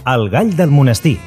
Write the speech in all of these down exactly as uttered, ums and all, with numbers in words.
El gall del monestir.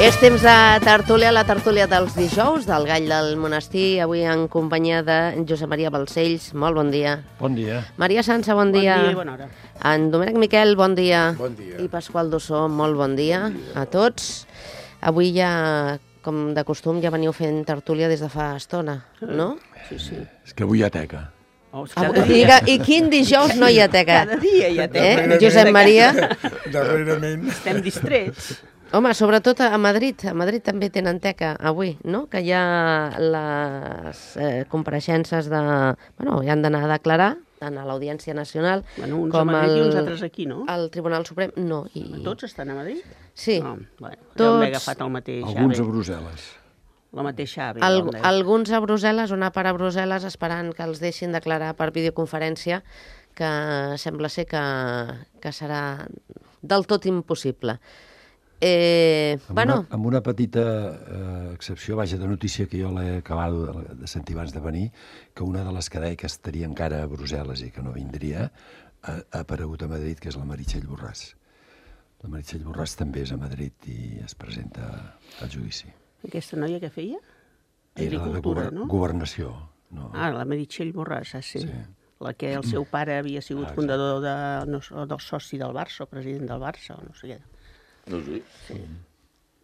És temps de tertúlia, la tertúlia dels dijous, del gall del monestir, avui en companyia de Josep Maria Balcells. Molt bon dia. Bon dia. Maria Sança, bon dia. Bon dia i bona hora. En Domènec Miquel, bon dia. Bon dia. I Pasqual Dossó, molt bon dia, bon dia a tots. Avui ja, com de costum, ja veniu fent tertúlia des de fa estona, no? Sí, sí. És que avui hi ha teca. Oh, Ah, I, I quin dijous no hi ha teca? Cada dia hi ha teca. Eh? Josep Maria? Darrerament. Estem distrets. Home, sobretot a Madrid. A Madrid també tenen teca avui, no? Que hi ha les eh, compareixences de... Bueno, hi han d'anar a declarar, tant a l'Audiència Nacional Bueno, uns com a Madrid al, i uns altres aquí, no? al Tribunal Suprem. No, i... Tots estan a Madrid? Sí. No, bueno, Tots- Tots... m'he agafat el mateix Alguns a ave. Brussel·les. La mateixa ave. Al, com deia. alguns a Brussel·les, una part a Brussel·les, esperant que els deixin declarar per videoconferència, que sembla ser que, que serà del tot impossible. Eh, Amb, bueno, una, amb una petita eh, excepció, vaja, de notícia que jo l'he acabat de, de sentir abans de venir, que una de les que deia que estaria encara a Brussel·les i que no vindria, ha, ha aparegut a Madrid, que és la Meritxell Borràs. La Meritxell Borràs també és a Madrid i es presenta al judici. Aquesta noia que feia? Era de Agricultura, gover no? governació. No? Ah, la Meritxell Borràs, ah, sí. Sí. La que el seu pare havia sigut Ah, fundador de, no, o del soci del Barça, o president del Barça, o no sé què. No sé.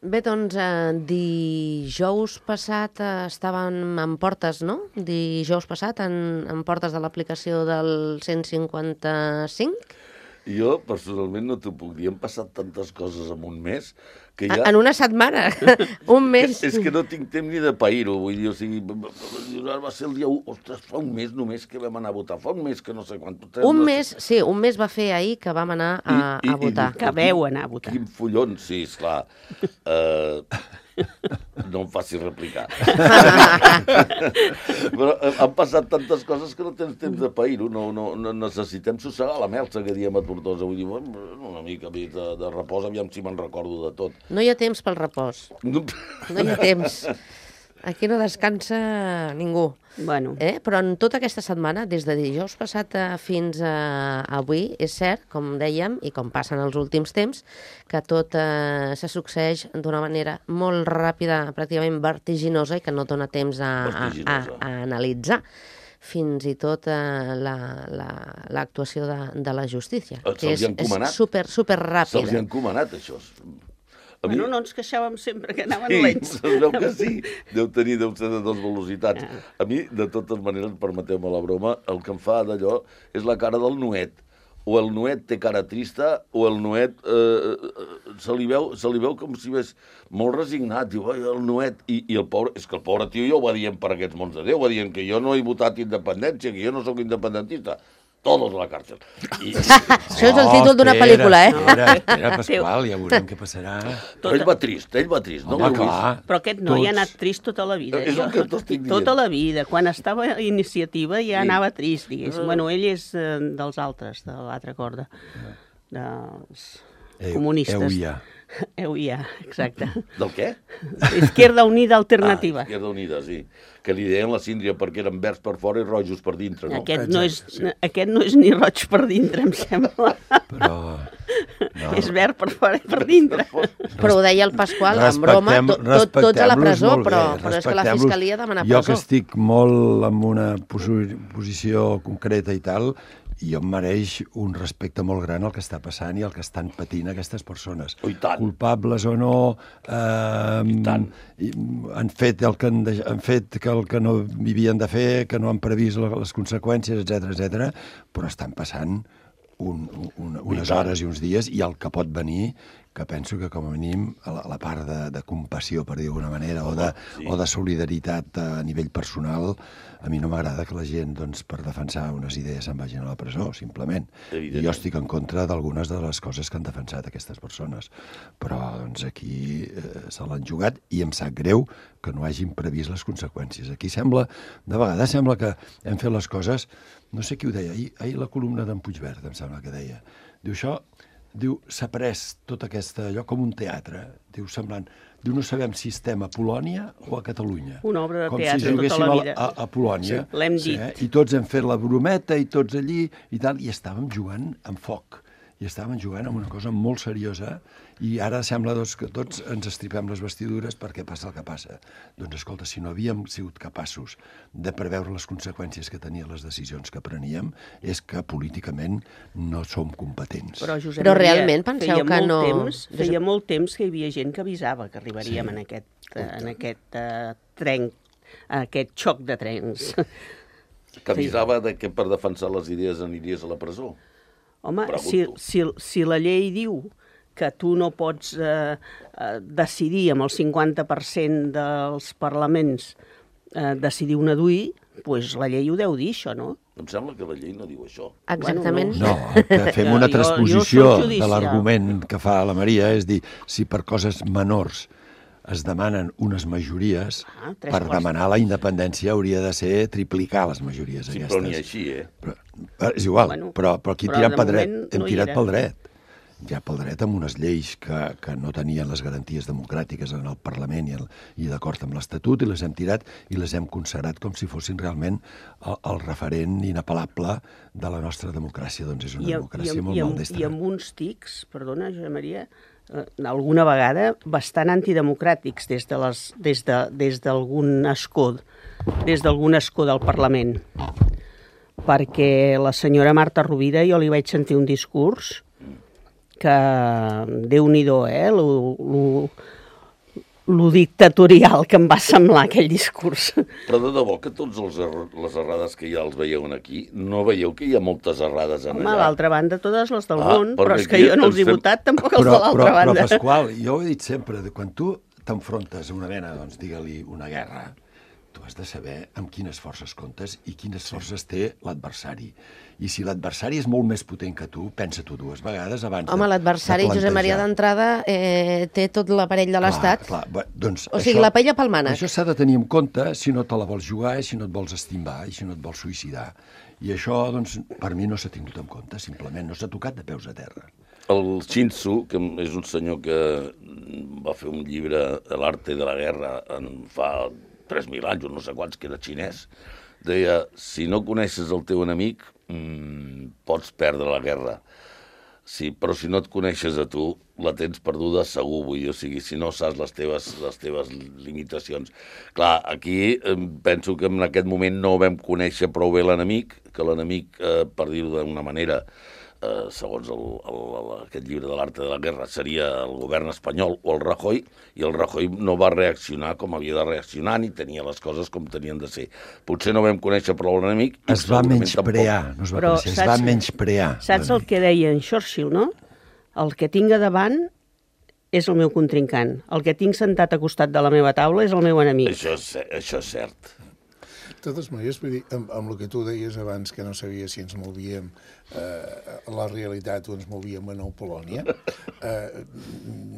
bé, doncs, eh, dijous passat eh, estàvem en portes, no? Dijous passat en, en portes de l'aplicació del cent cinquanta-cinc. Jo, personalment, no t'ho puc dir. Han passat tantes coses en un mes que ja... En una setmana, un mes. Que, és que no tinc temps ni de pair-ho. Vull dir, o sigui, va ser el dia u. Ostres, fa un mes només que vam anar a votar. Fa un mes que no sé quant. Un mes, sí, un mes va fer ahir que vam anar a, I- i- a votar. i- Que veu anar a votar. Quin follon, sí, esclar. Uh, no em facis replicar. Però eh, han passat tantes coses que no tens temps de pair-ho. No, no, no necessitem sossegar la melsa que diem a Tortosa. Vull dir, bueno, una mica més de, de repòs, aviam si me'n recordo de tot. No hi ha temps pel repòs, No, no hi ha temps. Aquí no descansa ningú. Bueno, Eh? Però en tota aquesta setmana, des de dijous passat eh, fins a avui, és cert, com dèiem, i com passa en els últims temps, que tot eh, se succeeix d'una manera molt ràpida, pràcticament vertiginosa, i que no dona temps a, a, a, Vertiginosa. a analitzar fins i tot eh, la- la- l'actuació de, de la justícia, Eh, que se'ls és, hi han és encomanat. super, super se'ls hi ràpida. ha encomanat, això. A mi... bueno, no ens queixàvem sempre que anaven Sí, lents. es veu que sí. Deu tenir, deu ser de dues velocitats. A mi, de totes maneres, permeteu-me la broma, el que em fa d'allò és la cara del Nuet. O el Nuet té cara trista, o el Nuet eh, eh, se, li veu, se li veu com si ves molt resignat. Diu, ai, el Nuet... I, I el pobre... És que el pobre tio ja ho va dient per aquests mons de Déu, va dient que jo no he votat independència, que jo no sóc independentista. Todos a la càrcel. I, Això és el títol d'una pel·lícula, eh? Espera, espera, Pasqual, ja veurem què passarà. però ell va trist, ell va trist. No Home, l'heu vist? clar. Però aquest noi ha Tots. anat trist tota la vida. És el que t'estic dient. Tota la vida. Quan estava a iniciativa ja Sí. anava trist, diguéssim. Ah. Bueno, ell és eh, dels altres, de l'altra corda. Dels Eu- comunistes. EUIA. EUIA, exacte. Del què? Izquierda Unida Alternativa. Ah, Izquierda Unida, sí. Que li deien la síndria perquè eren verds per fora i rojos per dintre, no? Aquest, no és, aquest no és ni roig per dintre, em sembla. Però... No. És verd per fora i per dintre. Però ho deia el Pasqual, en broma, Respectem- tot, tot, tots a la respectem-los presó, molt però, bé, però és que la respectem-los. Fiscalia demana Jo presó. que estic molt en una posi- posició concreta i tal, i em mereix un respecte molt gran el que està passant i el que estan patint aquestes persones. Oh, i tant. Culpables o no, eh, I tant. han fet el que han, de, han fet que el que no havien de fer, que no han previst les conseqüències, etcètera, etcètera, però estan passant un, un, unes hores i uns dies, i el que pot venir, que penso que com a mínim a la, a la part de, de compassió, per dir d'alguna manera, o de, sí. o de solidaritat a nivell personal, a mi no m'agrada que la gent, doncs, per defensar unes idees se'n vagin a la presó, simplement. I jo estic en contra d'algunes de les coses que han defensat aquestes persones. Però, doncs, aquí eh, se l'han jugat i em sap greu que no hagin previst les conseqüències. Aquí sembla, de vegades sembla que hem fet les coses, no sé qui ho deia, ahir, ahir la columna d'en Puigverd, em sembla que deia, diu això, diu, s'ha pres tot aquest allò com un teatre, diu, semblant, diu, no sabem si estem a Polònia o a Catalunya. Una obra de com teatre si tota la vida. A, a, a Polònia. Sí, l'hem sí, dit. Eh? I tots hem fet la brometa i tots allí i tal, i estàvem jugant amb foc. I estàvem jugant amb una cosa molt seriosa i ara sembla doncs, que tots ens estripem les vestidures perquè passa el que passa. Doncs escolta, si no havíem sigut capaços de preveure les conseqüències que tenien les decisions que preníem, és que políticament no som competents. Però, Josep Però Maria, realment penseu feia que molt no... Temps, feia molt temps que hi havia gent que avisava que arribaríem Sí. en aquest, uh, en aquest uh, tren, aquest xoc de trens. Que avisava de que per defensar les idees aniries a la presó. Home, si, Pregunto. si, si la llei diu que tu no pots eh, eh, decidir amb el cinquanta per cent dels parlaments eh, decidir una D U I, doncs la llei ho deu dir, això, no? Em sembla que la llei no diu això. Exactament. No, que fem una Jo- jo transposició soc de judicial. l'argument que fa la Maria, és dir, si per coses menors es demanen unes majories, Ah, tres per quarts. demanar la independència hauria de ser triplicar les majories Sí, aquestes. però ni així, eh? Però, eh, és igual, Bueno, però, però aquí però tirem de pel dret, moment hem no hi tirat era. pel dret. Ja pel dret amb unes lleis que, que no tenien les garanties democràtiques en el Parlament i, el, i d'acord amb l'Estatut, i les hem tirat i les hem consagrat com si fossin realment el, el referent inapel·lable de la nostra democràcia. Doncs és una I, democràcia i, molt i, amb, maldestra. I amb uns tics, perdona, Josep Maria, eh, alguna vegada bastant antidemocràtics des de les, des de, des d'algun escó, des d'algun escó del Parlament. Perquè la senyora Marta Rovira, jo li vaig sentir un discurs que, Déu-n'hi-do, eh, lo, lo, lo dictatorial que em va semblar aquell discurs. Però de debò que tots els err les errades que ja els veieu aquí, no veieu que hi ha moltes errades en Home, a allà? l'altra banda, totes les del Ah, món, perquè però és que aquí jo no els he ens fem- votat, tampoc els Però, de l'altra però, banda. però, Pasqual, jo ho he dit sempre, de quan tu t'enfrontes a una mena, doncs, digue-li, una guerra, tu has de saber amb quines forces comptes i quines forces té l'adversari. I si l'adversari és molt més potent que tu, pensa-t'ho dues vegades abans Home, de, l'adversari, de Josep Maria, plantejar. d'entrada, eh, té tot l'aparell de l'Estat. Clar, clar. Doncs O sigui, la paella pel mànec. Això s'ha de tenir en compte si no te la vols jugar, i si no et vols estimbar, i si no et vols suïcidar. I això, doncs, per mi no s'ha tingut en compte, simplement no s'ha tocat de peus a terra. El Shin-Tzu, que és un senyor que va fer un llibre, L'arte de la guerra, en fa tres mil anys, o no sé quants, que era xinès, deia, si no coneixes el teu enemic, mmm, pots perdre la guerra. Sí, però si no et coneixes a tu, la tens perduda segur, vull dir, o sigui, si no saps les teves, les teves limitacions. Clar, aquí eh, penso que en aquest moment no vam conèixer prou bé l'enemic, que l'enemic, eh, per dir-ho d'una manera, eh, segons el, el, el, aquest llibre de l'arte de la guerra, seria el govern espanyol o el Rajoy, i el Rajoy no va reaccionar com havia de reaccionar, ni tenia les coses com tenien de ser. Potser no vam conèixer prou l'enemic. i Es va segurament menysprear, no es va Però conèixer, es saps- va menysprear. Saps el que deia en Churchill, no? El que tinc a davant és el meu contrincant. El que tinc sentat a costat de la meva taula és el meu enemic. Això és, això és cert. De totes maneres, vull dir, amb, amb el que tu deies abans, que no sabia si ens movíem eh, a la realitat o ens movíem a Nou Polònia, eh,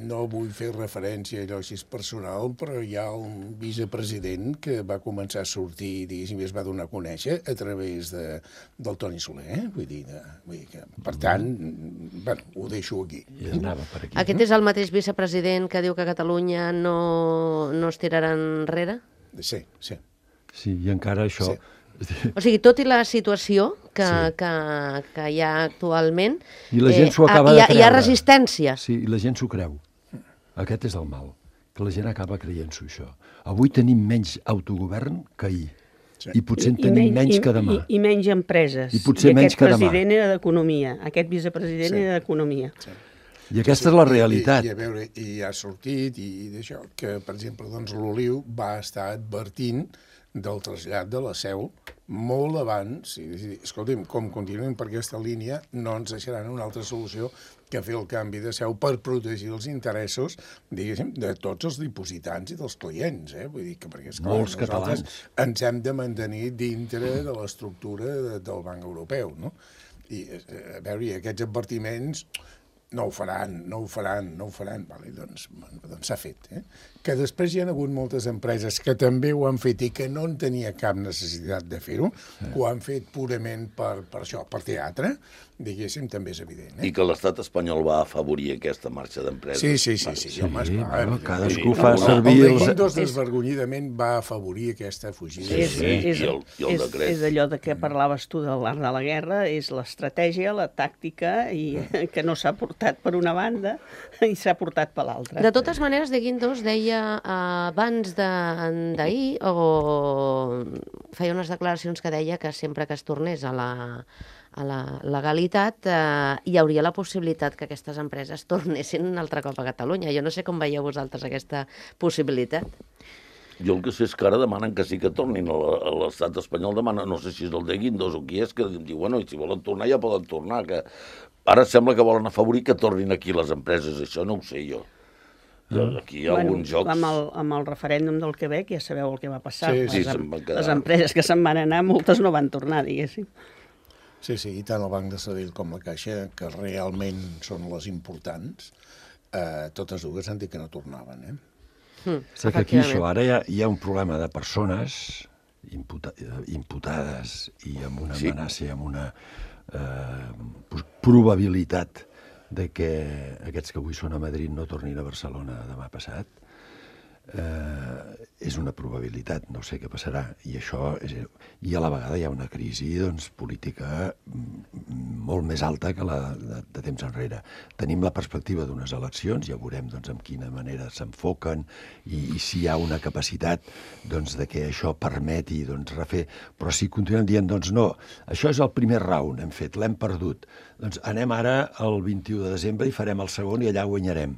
no vull fer referència a allò així personal, però hi ha un vicepresident que va començar a sortir, diguéssim, i es va donar a conèixer a través de, del Toni Soler, eh? vull dir, de, vull dir que, per tant, bueno, ho deixo aquí. I anava per aquí. Aquest és el mateix vicepresident que diu que Catalunya no, no es tirarà enrere? Sí, sí. Sí, i encara això... Sí. O sigui, tot i la situació que, Sí. que, que hi ha actualment, I la gent s'ho ah, acaba hi de ha, creure. hi ha resistència. Sí, i la gent s'ho creu. Aquest és el mal, que la gent acaba creient-s'ho, això. Avui tenim menys autogovern que ahir. I potser en tenim menys que demà. I, i menys empreses. I potser menys que demà. I aquest president era d'Economia, aquest vicepresident Sí. era d'Economia. Sí. I aquesta és la realitat. I, i, a veure, i ha sortit, i, i d'això, que, per exemple, doncs, l'Oliu va estar advertint del trasllat de la seu molt abans. I, i, escolti'm, com continuem per aquesta línia, no ens deixaran una altra solució que fer el canvi de seu per protegir els interessos, diguéssim, de tots els dipositants i dels clients, eh? Vull dir que, perquè, esclar, Molts nosaltres catalans. ens hem de mantenir dintre de l'estructura de, del Banc Europeu, no? I, a veure, i aquests advertiments no ho faran, no ho faran, no ho faran. Vale, doncs bueno, doncs s'ha fet. Eh? Que després hi ha hagut moltes empreses que també ho han fet i que no en tenia cap necessitat de fer-ho, sí. que ho han fet purament per, per això, per teatre, diguéssim, també és evident. Eh? I que l'estat espanyol va afavorir aquesta marxa d'empreses. Sí, sí, sí. sí, sí, home, Sí, esclar, bueno, evidentment. cadascú Sí, fa no, servir El de els... Guindos desvergonyidament va afavorir aquesta fugida. Sí, sí. és, i el- i el és, decret. és allò de què parlaves tu de l'art de la guerra, és l'estratègia, la tàctica, i que no s'ha portat per una banda i s'ha portat per l'altra. De totes maneres, de Guindos deia eh, abans de- d'ahir, o feia unes declaracions que deia que sempre que es tornés a la, a la legalitat eh, hi hauria la possibilitat que aquestes empreses tornessin un altre cop a Catalunya. Jo no sé com veieu vosaltres aquesta possibilitat. Jo el que sé és que ara demanen que sí que tornin a la- a l'estat espanyol, demana, no sé si és el de Guindos o qui és, que diu, bueno, i si volen tornar ja poden tornar, que ara sembla que volen afavorir que tornin aquí les empreses, això no ho sé jo. Jo aquí hi ha Bueno, alguns jocs... amb el, amb el referèndum del Quebec ja sabeu el que va passar. Sí, les, sí, em- se'n van quedar. les empreses que se'n van anar, moltes no van tornar, diguéssim. Sí, sí, i tant el Banc de Sabadell com la Caixa, que realment són les importants, eh, totes dues han dit que no tornaven, eh? Mm, Sé que aquí això, efectivament. ara hi ha, hi ha un problema de persones imputa, imputades i amb una Sí. amenaça i amb una eh, pos- probabilitat de que aquests que avui són a Madrid no tornin a Barcelona demà passat. Eh, és una probabilitat, no sé què passarà, i això és, i a la vegada hi ha una crisi doncs, política mm, molt més alta que la de, de temps enrere. Tenim la perspectiva d'unes eleccions, ja veurem doncs, amb quina manera s'enfoquen i, i si hi ha una capacitat doncs, de que això permeti doncs, refer, però si continuem dient doncs no, això és el primer round, hem fet, l'hem perdut, doncs anem ara el vint-i-u de desembre i farem el segon i allà guanyarem.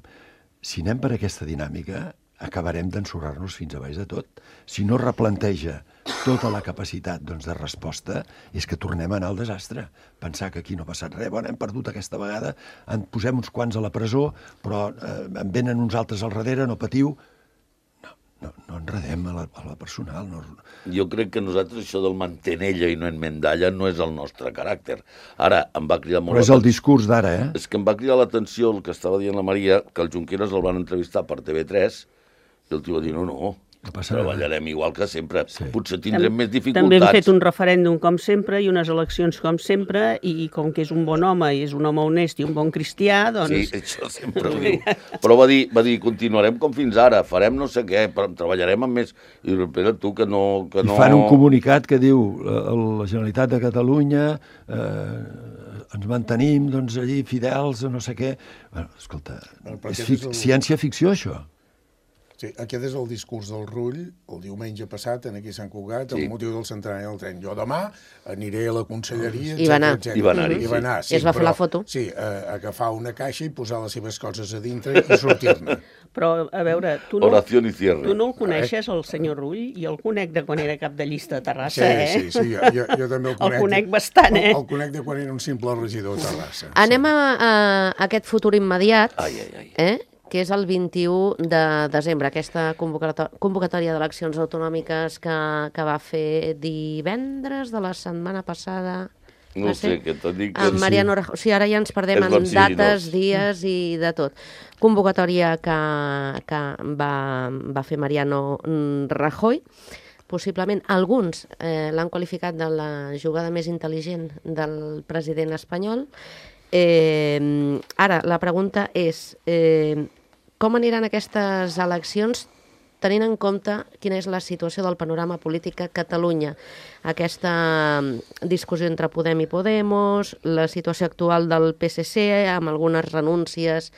Si anem per aquesta dinàmica, acabarem d'ensorrar-nos fins a baix de tot. Si no replanteja tota la capacitat doncs, de resposta, és que tornem a anar al desastre. Pensar que aquí no ha passat res, bueno, hem perdut aquesta vegada, en posem uns quants a la presó, però eh, en venen uns altres al darrere, no patiu. No, no, no enredem a la, a la personal. No... Jo crec que nosaltres això del mantenella i no enmendalla no és el nostre caràcter. Ara, em va cridar molt... Però és el discurs d'ara, eh? És que em va cridar l'atenció el que estava dient la Maria, que el Junqueras el van entrevistar per T V tres, i el tio va dir, no, no, No passa res. treballarem igual que sempre. Sí. Potser tindrem més dificultats. També hem fet un referèndum com sempre i unes eleccions com sempre, i com que és un bon home i és un home honest i un bon cristià, doncs... Sí, això sempre ho diu. Però va dir, va dir, continuarem com fins ara, farem no sé què, però treballarem amb més... I diu, espera, tu, que no... Que I no... fan un comunicat que diu la, la Generalitat de Catalunya eh, ens mantenim doncs, allí fidels a no sé què. Bueno, escolta, Bueno, però és aquest fic és el- ciència-ficció, això. Sí, aquest és el discurs del Rull, el diumenge passat, en aquí a Sant Cugat, Sí. amb motiu del centenari del tren. Jo demà aniré a la conselleria, I va anar. etcètera, etcètera. I va anar-hi, I va anar, I es va fer però- la foto. Sí, a, agafar una caixa i posar les seves coses a dintre i sortir-ne. Però, a veure, tu no, Oració i cierre. tu no el coneixes, el senyor Rull? Jo el conec de quan era cap de llista de Terrassa, Sí, eh? sí, sí, jo, jo, jo també el El conec. conec bastant, eh? El, el conec de quan era un simple regidor a Terrassa. Anem a, a aquest futur immediat, Ai, ai, ai. eh? que és el vint-i-u de desembre, aquesta convocatò- convocatòria d'eleccions autonòmiques que, que va fer divendres de la setmana passada. No Va sé, ser? que t'ho dic... Amb Mariano Rajoy. O sigui, ara ja ens perdem És en vertiginós. dates, dies i de tot. Convocatòria que, que va, va fer Mariano mm, Rajoy. Possiblement alguns eh, l'han qualificat de la jugada més intel·ligent del president espanyol. Eh, ara, la pregunta és eh, com aniran aquestes eleccions tenint en compte quina és la situació del panorama polític a Catalunya, aquesta discussió entre Podem i Podemos, la situació actual del P S C amb algunes renúncies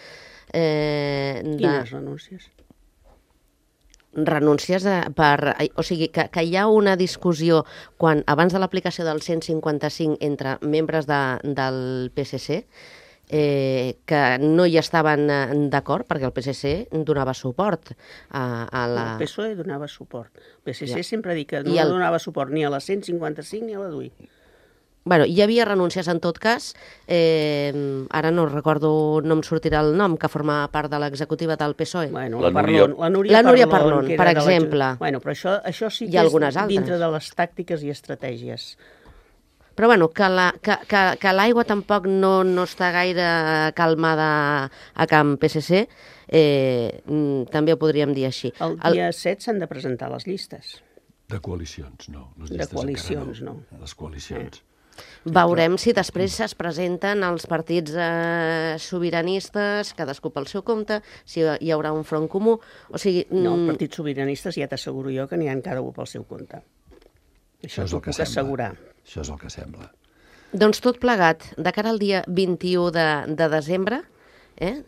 eh, de... Quines renúncies? renúncies de, per... O sigui, que, que hi ha una discussió quan, abans de l'aplicació del cent cinquanta-cinc entre membres de, del P S C, eh, que no hi estaven d'acord perquè el P S C donava suport a, a la... El P S O E donava suport. El P S C Ja. sempre ha dit que no I el- donava suport ni a la cent cinquanta-cinc ni a la D U I. Bueno, hi havia renúncies en tot cas, eh, ara no recordo, no em sortirà el nom, que formava part de l'executiva del P S O E. Bueno, La la, Núria- Parlon, la Núria, La Núria Parlon, Parlon, que per era de la- exemple. Bueno, però això, això sí Hi que ha és algunes altres. dintre de les tàctiques i estratègies. Però bueno, que la- que, que, que l'aigua tampoc no, no està gaire calmada a Camp P S C, eh, mm, també ho podríem dir així. El dia set s'han de presentar les llistes. De coalicions, no. Les De llistes coalicions, encara no. Les coalicions. Veurem si després es presenten els partits eh, sobiranistes, cadascú pel seu compte, si hi haurà un front comú. O sigui, No, mm, partits sobiranistes ja t'asseguro jo que n'hi ha cada un pel seu compte. Això és t'ho el que puc assegurar. sembla. Això és el que sembla. doncs tot plegat, de cara al dia vint-i-u de, de desembre, eh?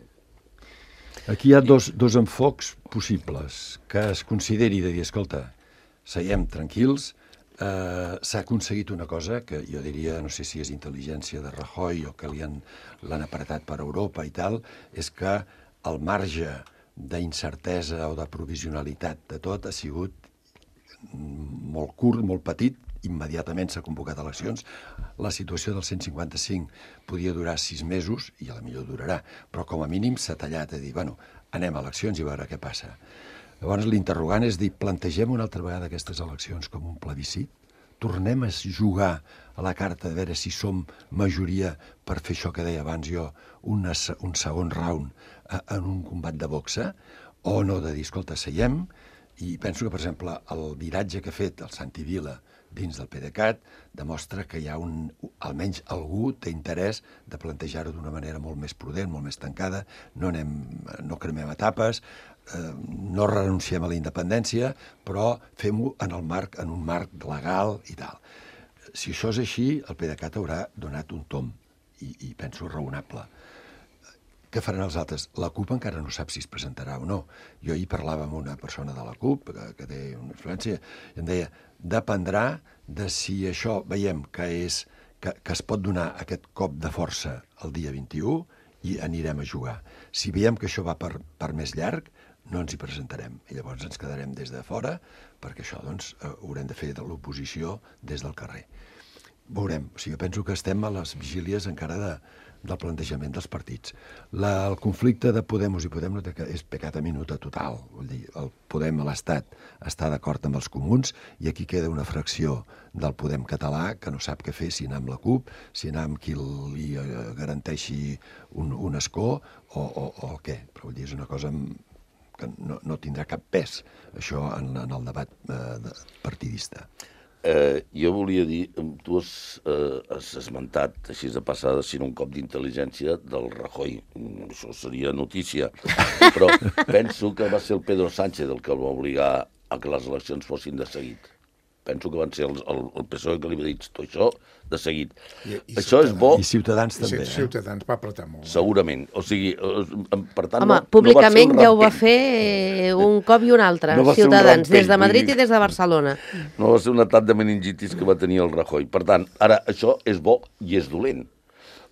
Aquí hi ha dos, dos enfocs possibles, que es consideri de dir, escolta, seiem tranquils, eh, s'ha aconseguit una cosa que jo diria, no sé si és intel·ligència de Rajoy o que li han, l'han apretat per Europa i tal, és que el marge d'incertesa o de provisionalitat de tot ha sigut molt curt, molt petit, immediatament s'ha convocat eleccions. La situació del cent cinquanta-cinc podia durar sis mesos, i a la millor durarà, però com a mínim s'ha tallat a dir, bueno, anem a eleccions i a veure què passa. Llavors l'interrogant és dir, plantegem una altra vegada aquestes eleccions com un plebiscit? Tornem a jugar a la carta de veure si som majoria per fer això que deia abans jo, una, un segon round eh, en un combat de boxa? O no, de dir, escolta, seiem, i penso que, per exemple, el viratge que ha fet el Santi Vila dins del PDeCAT demostra que hi ha un, almenys algú té interès de plantejar-ho d'una manera molt més prudent, molt més tancada, no, anem, no cremem etapes, eh, no renunciem a la independència, però fem-ho en el marc, en un marc legal i tal. Si això és així, el PDeCAT haurà donat un tom, i, i penso raonable. Què faran els altres? La CUP encara no sap si es presentarà o no. Jo ahir parlava amb una persona de la CUP, que, que té una influència, i em deia, dependrà de si això veiem que, és, que, que es pot donar aquest cop de força el dia vint-i-u i anirem a jugar. Si veiem que això va per, per més llarg, no ens hi presentarem. I llavors ens quedarem des de fora, perquè això doncs, haurem de fer de l'oposició des del carrer. Veurem. O sigui, jo penso que estem a les vigílies encara de, del plantejament dels partits. La, el conflicte de Podemos i Podem no té, és pecat a minuta total. Vull dir, el Podem a l'Estat està d'acord amb els comuns i aquí queda una fracció del Podem català que no sap què fer, si anar amb la CUP, si anar amb qui li garanteixi un, un escó o, o, o el què. Però vull dir, és una cosa que no, no tindrà cap pes, això, en, en el debat eh, partidista. Eh, jo volia dir, tu has, eh, has esmentat, així de passada, sin un cop d'intel·ligència del Rajoy. Això seria notícia. Però penso que va ser el Pedro Sánchez el que el va obligar a que les eleccions fossin de seguit. Penso que van ser el, el, el P S O E que li va dir tot això de seguit. I, i això és bo, I Ciutadans també. I Ciutadans va apretar molt. segurament. O sigui, eh, per tant... Home, no, públicament no ja ho va rampell. fer un cop i un altre, No va ser un Ciutadans, rampell, des de Madrid vull dir. i des de Barcelona. No va ser un atac de meningitis que va tenir el Rajoy. Per tant, ara, això és bo i és dolent.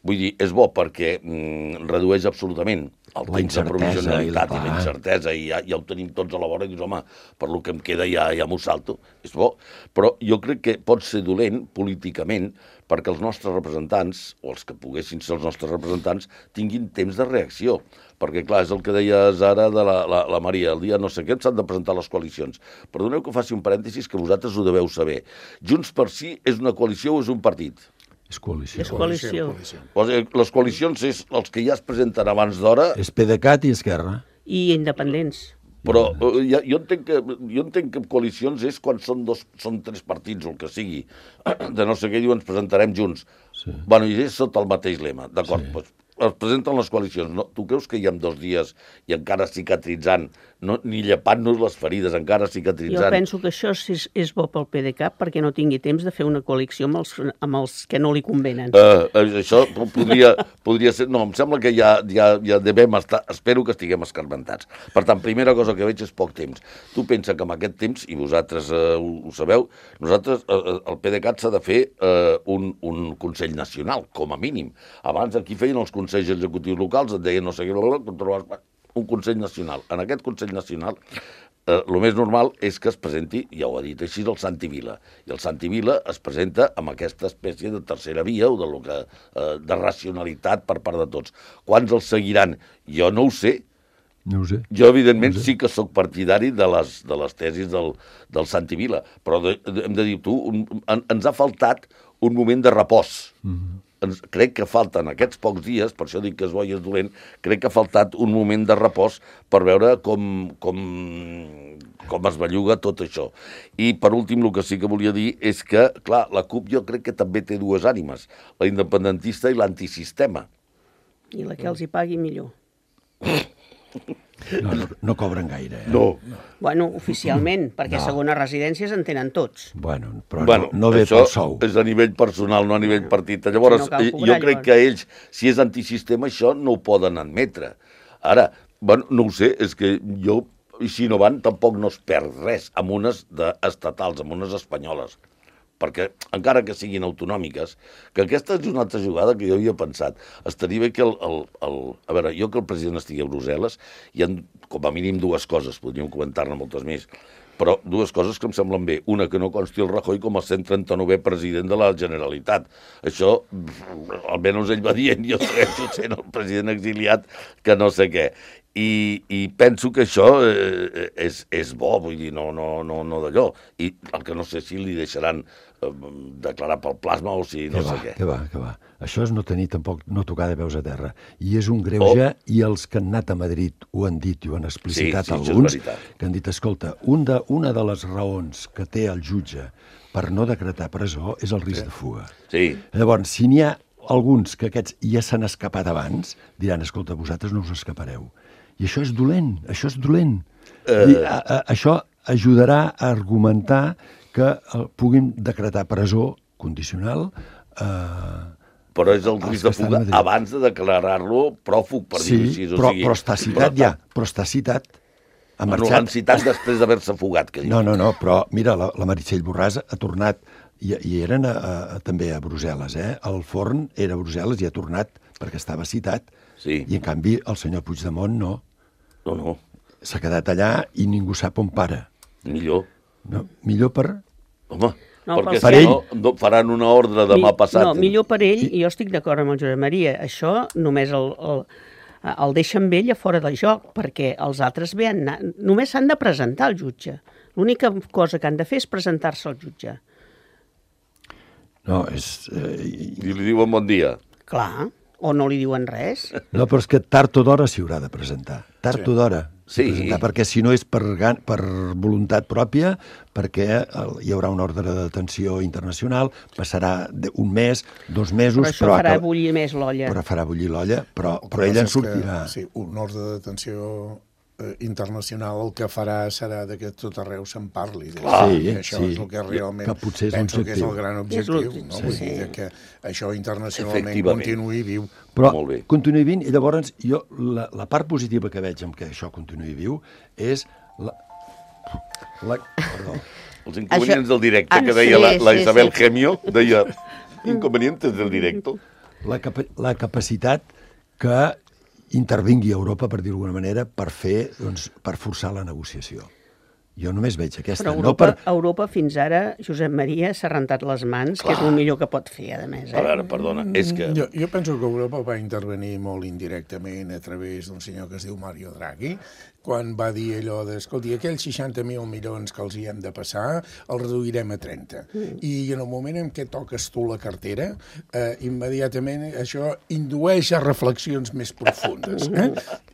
Vull dir, és bo perquè mm, redueix absolutament el La temps de provisionalitat i la- i la incertesa, i ja, ja ho tenim tots a la vora, i dius, home, per lo que em queda ja, ja m'ho salto. És bo. Però jo crec que pot ser dolent políticament perquè els nostres representants, o els que poguessin ser els nostres representants, tinguin temps de reacció. Perquè, clar, és el que deies ara de la, la, la Maria, el dia no sé què s'han de presentar les coalicions. Perdoneu que faci un parèntesis que vosaltres ho deveu saber. Junts per Sí és una coalició o és un partit? És coalició. És coalició. O sigui, les coalicions és els que ja es presenten abans d'hora, És PDeCAT i Esquerra. I independents. però eh, ja, jo, entenc que, jo entenc que coalicions és quan són, dos, són tres partits o el que sigui. De no sé què diuen, ens presentarem junts. Sí. Bueno, i és sota el mateix lema, d'acord, Sí. doncs es presenten les coalicions. No, tu creus que hi ha dos dies i encara cicatritzant, no, ni llepant-nos les ferides, encara cicatritzant? Jo penso que això és, és bo pel PDeCAT perquè no tingui temps de fer una coalició amb els, amb els que no li convenen. Uh, això podria, podria ser... No, em sembla que ja, ja, ja devem estar... Espero que estiguem escarmentats. Per tant, primera cosa que veig és poc temps. Tu pensa que amb aquest temps, i vosaltres uh, ho, ho sabeu, nosaltres, uh, el PDeCAT s'ha de fer uh, un, un Consell Nacional, com a mínim. Abans aquí feien els consells executius locals, et deien no sé què, un Consell Nacional. En aquest Consell Nacional, eh, el més normal és que es presenti, ja ho ha dit així, el Santi Vila. I el Santi Vila es presenta amb aquesta espècie de tercera via o de, lo que, eh, de racionalitat per part de tots. Quants els seguiran? Jo no ho sé. No ho sé. Jo, evidentment, no ho sé. sí que sóc partidari de les, de les tesis del, del Santi Vila, però de, de, hem de dir, tu, un, en, ens ha faltat un moment de repòs. Mm-hmm. Ens, crec que falten aquests pocs dies, per això dic que és bo i és dolent, crec que ha faltat un moment de repòs per veure com, com, com es belluga tot això. I, per últim, el que sí que volia dir és que, clar, la CUP jo crec que també té dues ànimes, la independentista i l'antisistema. I la que els hi pagui millor. No, no, no cobren gaire, eh? No. Bueno, oficialment, perquè No. segones residències en tenen tots. Bueno, però Bueno, no, no ve això pel sou. és a nivell personal, no a nivell partit. Llavors, No cal eh, cobrar, jo crec llavors. que ells, si és antisistema, això no ho poden admetre. Ara, bueno, no ho sé, és que jo, i si no van, tampoc no es perd res amb unes de estatals, amb unes espanyoles. Perquè, encara que siguin autonòmiques, que aquesta és una altra jugada que jo havia pensat. Estaria bé que el... el, el a veure, jo que el president estigui a Brussel·les, hi ha com a mínim dues coses, podríem comentar-ne moltes més, però dues coses que em semblen bé. Una, que no consti el Rajoy com a cent trenta-novè president de la Generalitat. Això, almenys ell va dient, jo segueixo sent el president exiliat, que no sé què. I, i penso que això eh, és, és bo, vull dir, no, no, no, no d'allò. I el que no sé si li deixaran eh, declarar pel plasma o si no que sé va, què. que va, que va. Això és no tenir tampoc, no tocar de peus a terra. I és un greuge, oh. i els que han anat a Madrid ho han dit i ho han explicitat Sí, sí, això és alguns, veritat. que han dit, escolta, un de, una de les raons que té el jutge per no decretar presó és el risc sí. de fuga. Sí. Llavors, si n'hi ha alguns que aquests ja s'han escapat abans, diran, escolta, vosaltres no us escapareu. I això és dolent, això és dolent. Uh... I, a, a, això ajudarà a argumentar que uh, puguin decretar presó condicional. Uh, però és el risc de fuga abans de declarar-lo pròfug, per sí, dir-ho així. O però, sigui, però està citat ja, però està citat. Ha bueno, marxat. l'han citat després d'haver-se fugat. Que no, no, no, però mira, la, la Meritxell Borràs ha tornat, i, i eren a, a, també a Brussel·les, eh? El Forn era a Brussel·les i ha tornat perquè estava citat. Sí. I en canvi el senyor Puigdemont no. No, no. S'ha quedat allà i ningú sap on para. Millor. No, millor per... Home, No, perquè per si ell. no, no faran una ordre demà Mi- passat. No, millor per ell, i jo estic d'acord amb el Josep Maria. Això només el, el, el deixen ell a fora del joc, perquè els altres bé han anat, només s'han de presentar al jutge. L'única cosa que han de fer és presentar-se al jutge. No, és... Eh, I li diuen bon dia. Clar, o no li diuen res. no, però és que tard o d'hora s'hi haurà de presentar. Tard o d'hora. Sí. Presentar, perquè si no és per, gan- per voluntat pròpia, perquè el, hi haurà una ordre de detenció internacional, passarà de, un mes, dos mesos... Però això però farà acaba- bullir més l'olla. Però farà bullir l'olla, però, El que però ella en passa és sortirà. Que, sí, un ordre de detenció eh, internacional el que farà serà de que tot arreu se'n parli. Clar, I sí, això sí. és el que realment Que potser és penso que és l'objectiu. el gran És objectiu. l'objectiu, No? sí. Vull dir de que això internacionalment Efectivament. continuï viu. Però Molt bé. continuï vint, i llavors jo, la, la part positiva que veig amb que això continuï viu és la... la perdó. Els inconvenients Això- del directe, Ah, que deia sí, la, la sí, Isabel sí. Gemio, deia inconvenientes del directo. La, capa la capacitat que intervingui Europa, per dir-ho d'alguna manera, per fer, doncs, per forçar la negociació. Jo només veig aquesta. Però no Europa, per... Europa fins ara, Josep Maria s'ha rentat les mans, que és el millor que pot fer, a més. A Eh? veure, perdona, és que... Jo, jo penso que Europa va intervenir molt indirectament a través d'un senyor que es diu Mario Draghi, quan va dir allò de, escolti, aquells seixanta mil milions que els hi hem de passar, els reduirem a trenta. Mm. I en el moment en què toques tu la cartera, eh, immediatament això indueix a reflexions més profundes. Eh?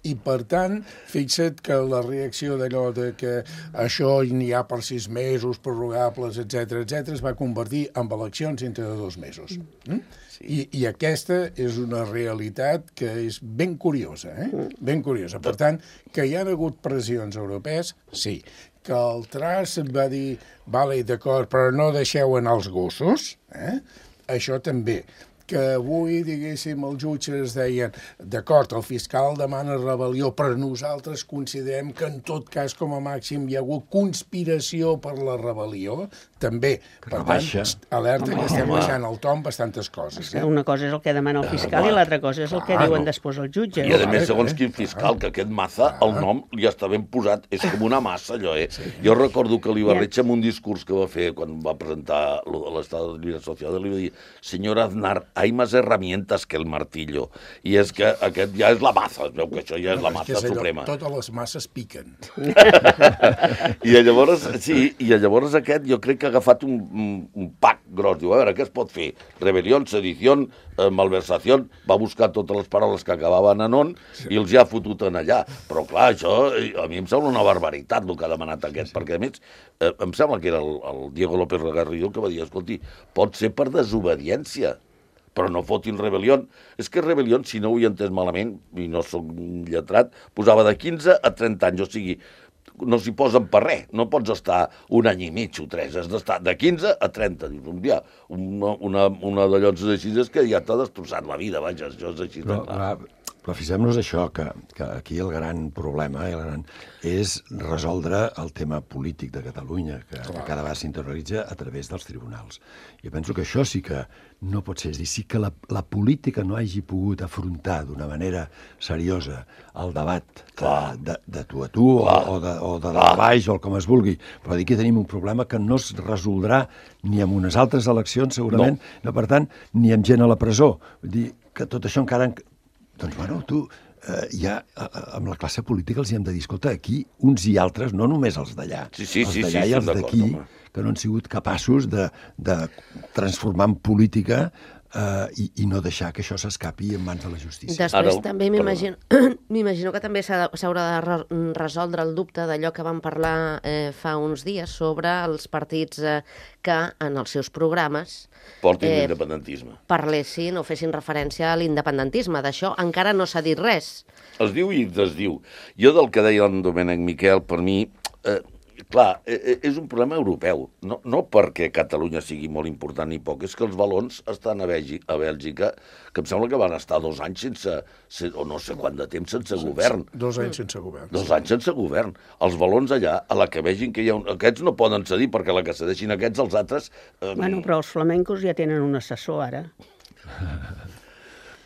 I, per tant, fixa't que la reacció d'allò de que això n'hi ha per sis mesos, prorrogables, etcètera, etcètera, es va convertir en eleccions dintre de dos mesos. Mm? Sí. I, I aquesta és una realitat que és ben curiosa, eh? Ben curiosa. Per tant, que hi ha hagut pressions europees, sí. Que el Tras va dir, vale, d'acord, però no deixeu anar els gossos, eh? Això també. Que avui, diguéssim, els jutges deien, d'acord, el fiscal demana rebel·lió, però nosaltres considerem que en tot cas, com a màxim, hi ha hagut conspiració per la rebel·lió, també. Per tant, alerta que estem baixant el to amb bastantes coses. Eh? Una cosa és el que demana el fiscal i l'altra cosa és el que diuen després els jutges. I a més, segons quin fiscal, que aquest Maza, el nom ja està ben posat, és com una massa, allò, eh? Jo recordo que l'Ibarretxe, en un discurs que va fer quan va presentar l'Estat de Llibre Social, li va dir, senyora Aznar, hay más herramientas que el martillo. I és que aquest ja és la maza, es veu que això ja és la maza suprema. Totes les masses piquen. I llavors, sí, i llavors aquest jo crec que ha agafat un, un, un pack gros. Diu, a veure, què es pot fer? Rebel·lió, sedició, eh, malversació, va buscar totes les paraules que acabaven en on sí. i els ja ha fotut en allà. Però clar, això a mi em sembla una barbaritat el que ha demanat aquest, sí. perquè a més eh, em sembla que era el, el Diego López Garrido que va dir, escolti, pot ser per desobediència, però no fotin rebel·lió. És que rebel·lió, si no ho he entès malament, i no soc lletrat, posava de quinze a trenta anys, o sigui, no s'hi posen per res, no pots estar un any i mig o tres, has d'estar de quinze a trenta. Dius, un dia, una, una, una d'allò així és que ja t'ha destrossat la vida, vaja, això és així. Però, clar, però fixem-nos això, que, que aquí el gran problema el gran, és resoldre el tema polític de Catalunya, que, que cada vegada s'internalitza a través dels tribunals. Jo penso que això sí que no pot ser. És dir, sí que la, la política no hagi pogut afrontar d'una manera seriosa el debat de, de, de tu a tu o, o de, o de dalt a baix o com es vulgui. Però dir que tenim un problema que no es resoldrà ni amb unes altres eleccions, segurament, no. No, per tant, ni amb gent a la presó. Vull dir que tot això encara... Doncs, bueno, tu, eh, ja amb la classe política els hi hem de dir, escolta, aquí uns i altres, no només els d'allà, sí, sí, els sí, d'allà sí, i els d'aquí, que no han sigut capaços de, de transformar en política Uh, i, i no deixar que això s'escapi en mans de la justícia. Després Ara, també m'imagino m'imagino que també s'haurà de re resoldre el dubte d'allò que vam parlar eh, fa uns dies sobre els partits eh, que en els seus programes portin eh, l'independentisme. Parlessin o fessin referència a l'independentisme. D'això encara no s'ha dit res. Es diu i es diu. Jo del que deia en Domènec Miquel, per mi... Eh, Clar, és un problema europeu, no, no perquè Catalunya sigui molt important ni poc, és que els valons estan a Bèlgica, a Bèlgica que em sembla que van estar dos anys sense, o no sé quant de temps sense sense, govern. Dos anys sense govern. Dos anys sense govern. Els valons allà, a la que vegin que hi ha un... Aquests no poden cedir, perquè a la que cedeixin aquests, els altres... Eh... Bueno, però els flamencos ja tenen un assessor, ara.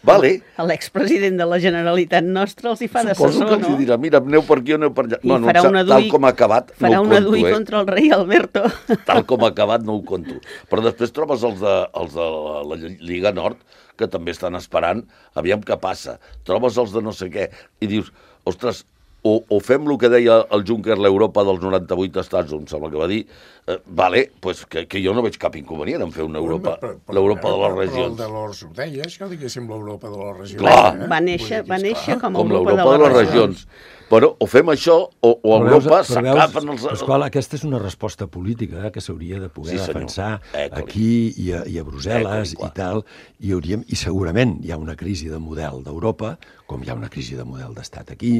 Vale. L'expresident de la Generalitat nostra els hi fa d'assessor, no? Suposo que els hi dirà, mira, aneu per aquí o aneu per allà. I bueno, farà una tal com ha acabat, no ho conto, farà una dui contra el rei Alberto. Tal com ha acabat, no ho conto. Però després trobes els de, els de la, la Lliga Nord, que també estan esperant, aviam què passa. Trobes els de no sé què, i dius, ostres, o, o fem el que deia el Juncker, l'Europa dels noranta-vuit estats, em sembla que va dir, eh, vale, pues que, que jo no veig cap inconvenient en fer una Europa, l'Europa de les regions. Però el de l'Ors ho deia, això, diguéssim, l'Europa de les regions. Clar. Eh? Va néixer, va néixer com a com Europa, de les regions. Però o fem això, o, o a Europa s'acapen els... Pasqual, aquesta és una resposta política eh, que s'hauria de poder sí, defensar eh, aquí i a, i a Brussel·les eh, i tal, i, hauríem, i segurament hi ha una crisi de model d'Europa, com hi ha una crisi de model d'estat aquí,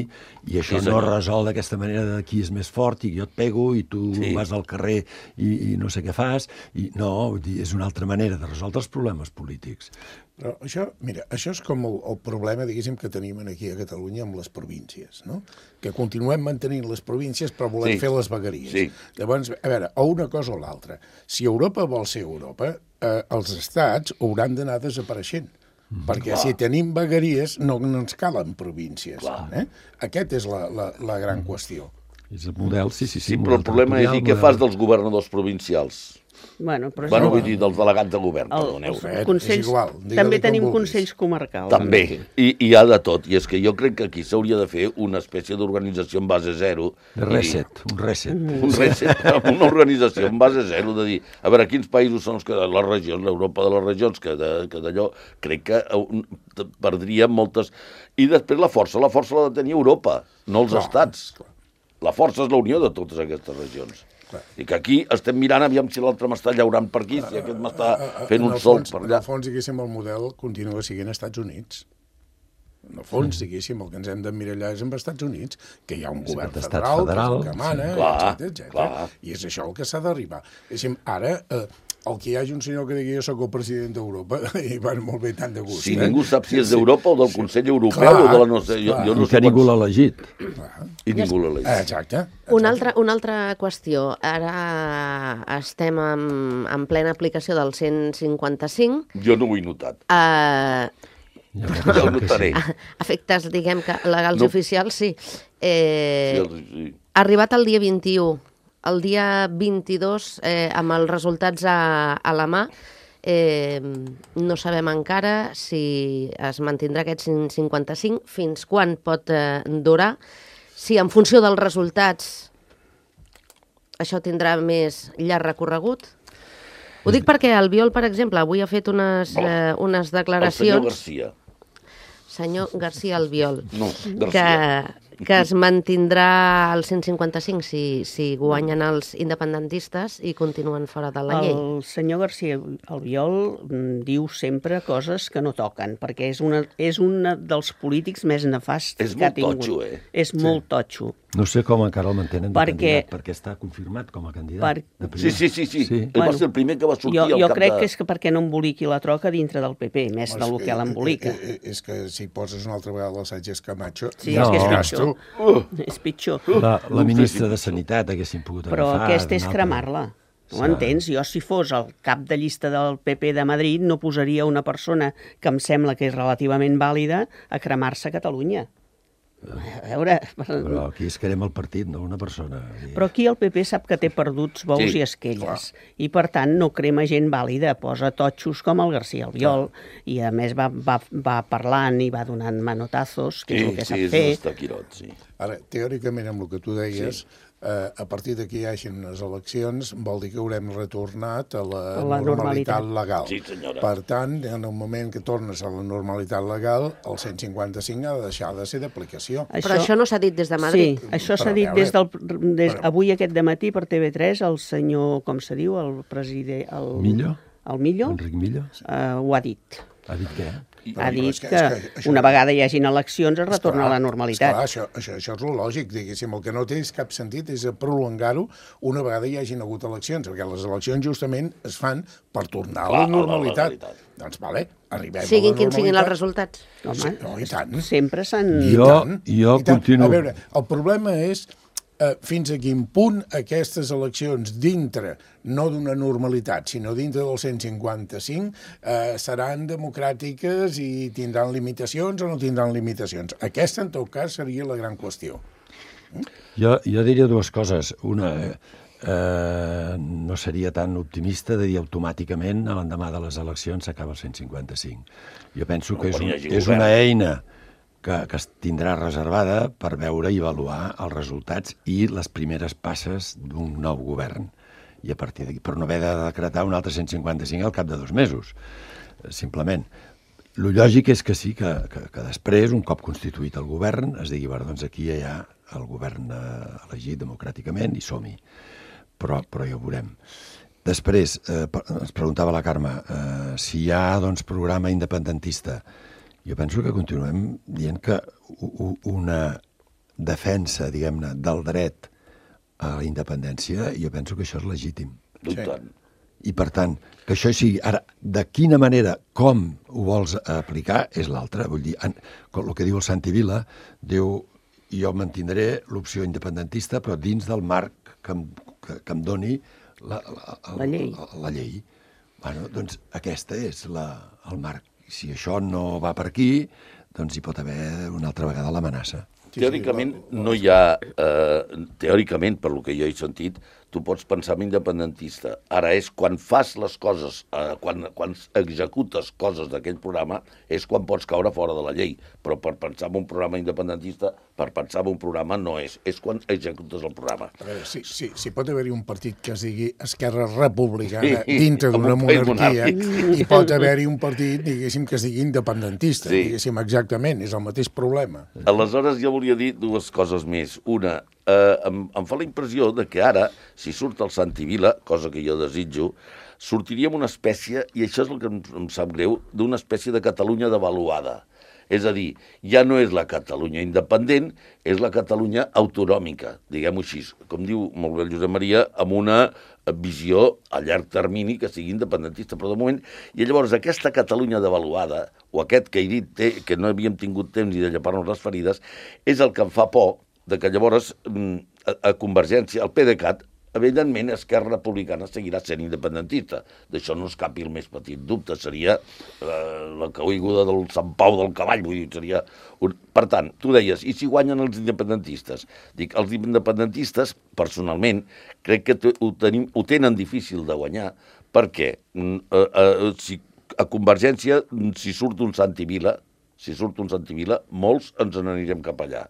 i això sí, no resol d'aquesta manera de qui és més fort i jo et pego i tu sí. vas al carrer i, i no sé què fas, i no, és una altra manera de resoldre els problemes polítics. Però això, mira, això és com el, el problema, diguéssim, que tenim aquí a Catalunya amb les províncies, no? Que continuem mantenint les províncies però volem sí. fer les vegueries. Sí. Llavors, a veure, o una cosa o l'altra. Si Europa vol ser Europa, eh, els estats hauran d'anar desapareixent. Mm, perquè clar. Si tenim vegueries no, no ens calen províncies. Eh? Aquesta és la, la, la gran mm. qüestió. És el model, sí, sí, sí. Sí, però el problema és dir què fas dels governadors provincials? Bueno, però bueno vull dir, dels delegats de govern, el, perdoneu. Consells, és igual. També tenim consells comarcals. També, i, i hi ha de tot. I és que jo crec que aquí s'hauria de fer una espècie d'organització en base zero. De reset, un reset. Mm. Un reset, una organització en base zero, de dir, a veure, quins països són els que les regions, l'Europa de les regions, que d'allò crec que perdríem moltes... I després la força, la força l'ha de tenir Europa, no els clar, estats. Clar. La força és la unió de totes aquestes regions. Clar. I que aquí estem mirant aviam si l'altre m'està llaurant per aquí, si aquest m'està fent un sol per allà. En el fons, diguéssim, el model continua sent Estats Units. En el fons, diguéssim, el que ens hem d'emmirallar és amb Estats Units, que hi ha un govern federal, federal que mana, sí. Clar, etcètera, etcètera. I és això el que s'ha d'arribar. Diguéssim, ara... Eh, el que hi hagi un senyor que digui jo soc el president d'Europa i van molt bé tant de gust. Si eh? ningú sap si és d'Europa o del Consell Europeu clar, o de la no sé... Jo, jo no I que ningú l'ha elegit. I ningú l'ha elegit. Exacte. Una altra, una altra qüestió. Ara estem en, en plena aplicació del cent cinquanta-cinc. Jo no ho he notat. Uh, ja ho notaré. Efectes, diguem que legals no. i oficials, sí. Eh, sí, sí. Arribat el dia vint-i-u, el dia vint-i-dos, eh, amb els resultats a, a la mà, eh, no sabem encara si es mantindrà aquest cent cinquanta-cinc, fins quan pot eh, durar, si en funció dels resultats això tindrà més llarg recorregut. Ho dic perquè Albiol, per exemple, avui ha fet unes, eh, unes declaracions... El senyor Garcia. Senyor Garcia Albiol. No, Garcia. Que, que es mantindrà el cent cinquanta-cinc si, si guanyen els independentistes i continuen fora de la llei. El senyor Garcia Albiol diu sempre coses que no toquen, perquè és una, és un dels polítics més nefasts és que ha tingut. És molt totxo, eh? És sí. molt totxo. No sé com encara el mantenen de perquè, candidat, perquè està confirmat com a candidat. Per... Sí, sí, sí, sí. sí. Bueno, va ser el primer que va sortir jo, al jo cap crec de... que és que perquè no emboliqui la troca dintre del P P, més del que, que l'embolica. És que si poses una altra vegada el Sánchez Camacho... Sí, no. és que és pitjor. Uh. És pitjor. La, la ministra de Sanitat haguessin pogut Però agafar... Però aquesta és cremar-la. No ho entens? Jo, si fos el cap de llista del P P de Madrid, no posaria una persona que em sembla que és relativament vàlida a cremar-se a Catalunya. A veure... Però aquí es crema el partit, no una persona. Però aquí el P P sap que té perduts bous sí, i esquelles. Clar. I, per tant, no crema gent vàlida. Posa totxos com el García Albiol. Clar. I, a més, va, va, va parlant i va donant manotazos, que sí, és el que sí, sap és fer. Sí, és taquirot, sí. Ara, teòricament, amb el que tu deies... Sí. Uh, a partir d'aquí hi hagin unes eleccions, vol dir que haurem retornat a la, a la normalitat, normalitat legal. Sí, senyora. Per tant, en el moment que tornes a la normalitat legal, el cent cinquanta-cinc ha de deixar de ser d'aplicació. Això... Però això no s'ha dit des de Madrid. Sí, això s'ha dit des del, des, però... avui aquest dematí per T V tres, el senyor, com se diu, el president... El, Millo? El Millo? Enric Millo? Uh, ho ha dit. Ha dit què? Ha dit que, que, que això, una vegada hi hagin eleccions es retorna esclar, a la normalitat. Esclar, això, això, això és el lògic, diguéssim. El que no té cap sentit és prolongar-ho una vegada hi hagin hagut eleccions, perquè les eleccions justament es fan per tornar a la normalitat. A la doncs, vale, arribem siguin a la quins siguin els resultats. Home, sí, no, i tant. Sempre s'han... Jo, jo continuo... A veure, el problema és eh, fins a quin punt aquestes eleccions dintre, no d'una normalitat, sinó dintre del cent cinquanta-cinc, eh, seran democràtiques i tindran limitacions o no tindran limitacions. Aquesta, en tot cas, seria la gran qüestió. Mm? Jo, jo diria dues coses. Una, eh, no seria tan optimista de dir automàticament a l'endemà de les eleccions s'acaba el cent cinquanta-cinc. Jo penso que és, un, és una eina que, que es tindrà reservada per veure i avaluar els resultats i les primeres passes d'un nou govern. I a partir d'aquí, per no haver de decretar un altre cent cinquanta-cinc al cap de dos mesos, simplement. Lo lògic és que sí, que, que, que després, un cop constituït el govern, es digui, bueno, doncs aquí hi ha el govern elegit democràticament i som-hi. Però, però ja ho veurem. Després, eh, ens preguntava la Carme, eh, si hi ha, doncs, programa independentista. Jo penso que continuem dient que una defensa, diguem-ne, del dret a la independència, jo penso que això és legítim. Sí. I, per tant, que això sigui... Ara, de quina manera, com ho vols aplicar, és l'altre. Vull dir, en, el que diu el Santi Vila, diu, jo mantindré l'opció independentista, però dins del marc que em, que, que em doni la, la, la, la llei. La, la llei. Bueno, doncs aquesta és la, el marc. Si això no va per aquí, doncs hi pot haver una altra vegada l'amenaça. Teòricament no hi ha, eh, teòricament, per lo que jo he sentit, tu pots pensar en independentista. Ara és quan fas les coses, eh, quan, quan executes coses d'aquell programa, és quan pots caure fora de la llei. Però per pensar en un programa independentista, per pensar en un programa no és, és quan executes el programa. A veure, si, si, si pot haver-hi un partit que es digui Esquerra Republicana sí, dintre d'una monarquia, i pot haver-hi un partit, diguéssim, que es digui independentista, sí. Diguéssim, exactament, és el mateix problema. Aleshores jo volia dir dues coses més. Una, eh, em, em fa la impressió de que ara, si surt el Santi Vila, cosa que jo desitjo, sortiríem una espècie, i això és el que em, em sap greu, d'una espècie de Catalunya devaluada. És a dir, ja no és la Catalunya independent, és la Catalunya autonòmica, diguem-ho així, com diu molt bé el Josep Maria, amb una visió a llarg termini que sigui independentista, però de moment, i llavors aquesta Catalunya devaluada, o aquest que he dit té, que no havíem tingut temps ni de llepar-nos les ferides, és el que em fa por de que llavors a, a Convergència, el PDeCAT, evidentment, Esquerra Republicana seguirà sent independentista. D'això no es capi el més petit dubte. Seria eh, la caiguda del Sant Pau del cavall. Vull dir, seria un... Per tant, tu deies, i si guanyen els independentistes? Dic, els independentistes, personalment, crec que ho, tenim, ho tenen difícil de guanyar, perquè eh, eh, si a Convergència, si surt un Santi Vila, si surt un Santi Vila, molts ens n'anirem cap allà.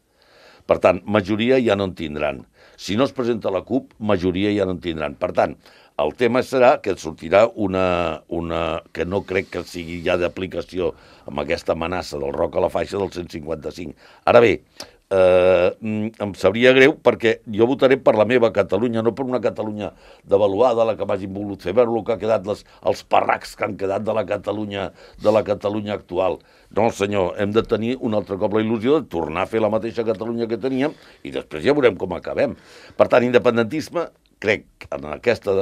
Per tant, majoria ja no en tindran. Si no es presenta la CUP, majoria ja no en tindran. Per tant, el tema serà que sortirà una, una que no crec que sigui ja d'aplicació amb aquesta amenaça del roc a la faixa del cent cinquanta-cinc. Ara bé, eh, em sabria greu perquè jo votaré per la meva Catalunya, no per una Catalunya devaluada, la que m'hagin volgut fer veure el que ha quedat, les, els parracs que han quedat de la Catalunya, de la Catalunya actual. No, senyor, hem de tenir un altre cop la il·lusió de tornar a fer la mateixa Catalunya que teníem i després ja veurem com acabem. Per tant, independentisme, crec, en aquesta...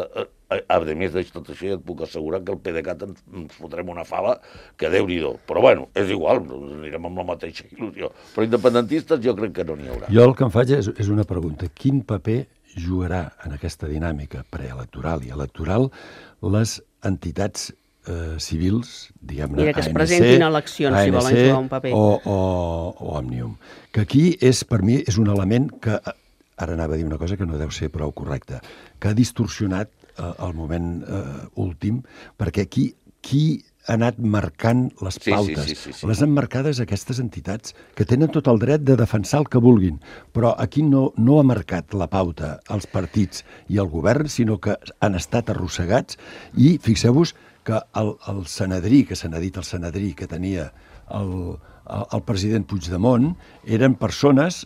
A més de tot això, ja et puc assegurar que el PDeCAT ens, ens fotrem una fava que Déu-n'hi-do. Però bueno, és igual, anirem amb la mateixa il·lusió. Però independentistes jo crec que no n'hi haurà. Jo el que em faig és, és una pregunta. Quin paper jugarà en aquesta dinàmica preelectoral i electoral les entitats eh, civils, diguem-ne, Mira, que es A N C, presentin a eleccions, si volen jugar un paper. O, o, o Òmnium. Que aquí és, per mi, és un element que, ara anava a dir una cosa que no deu ser prou correcta, que ha distorsionat eh, el moment eh, últim, perquè aquí qui ha anat marcant les Sí, pautes. sí, sí, sí, sí. Les han marcades aquestes entitats que tenen tot el dret de defensar el que vulguin, però aquí no, no ha marcat la pauta els partits i el govern, sinó que han estat arrossegats i fixeu-vos que el, el senedrí, que se n'ha dit el senedrí que tenia el, el, el president Puigdemont, eren persones,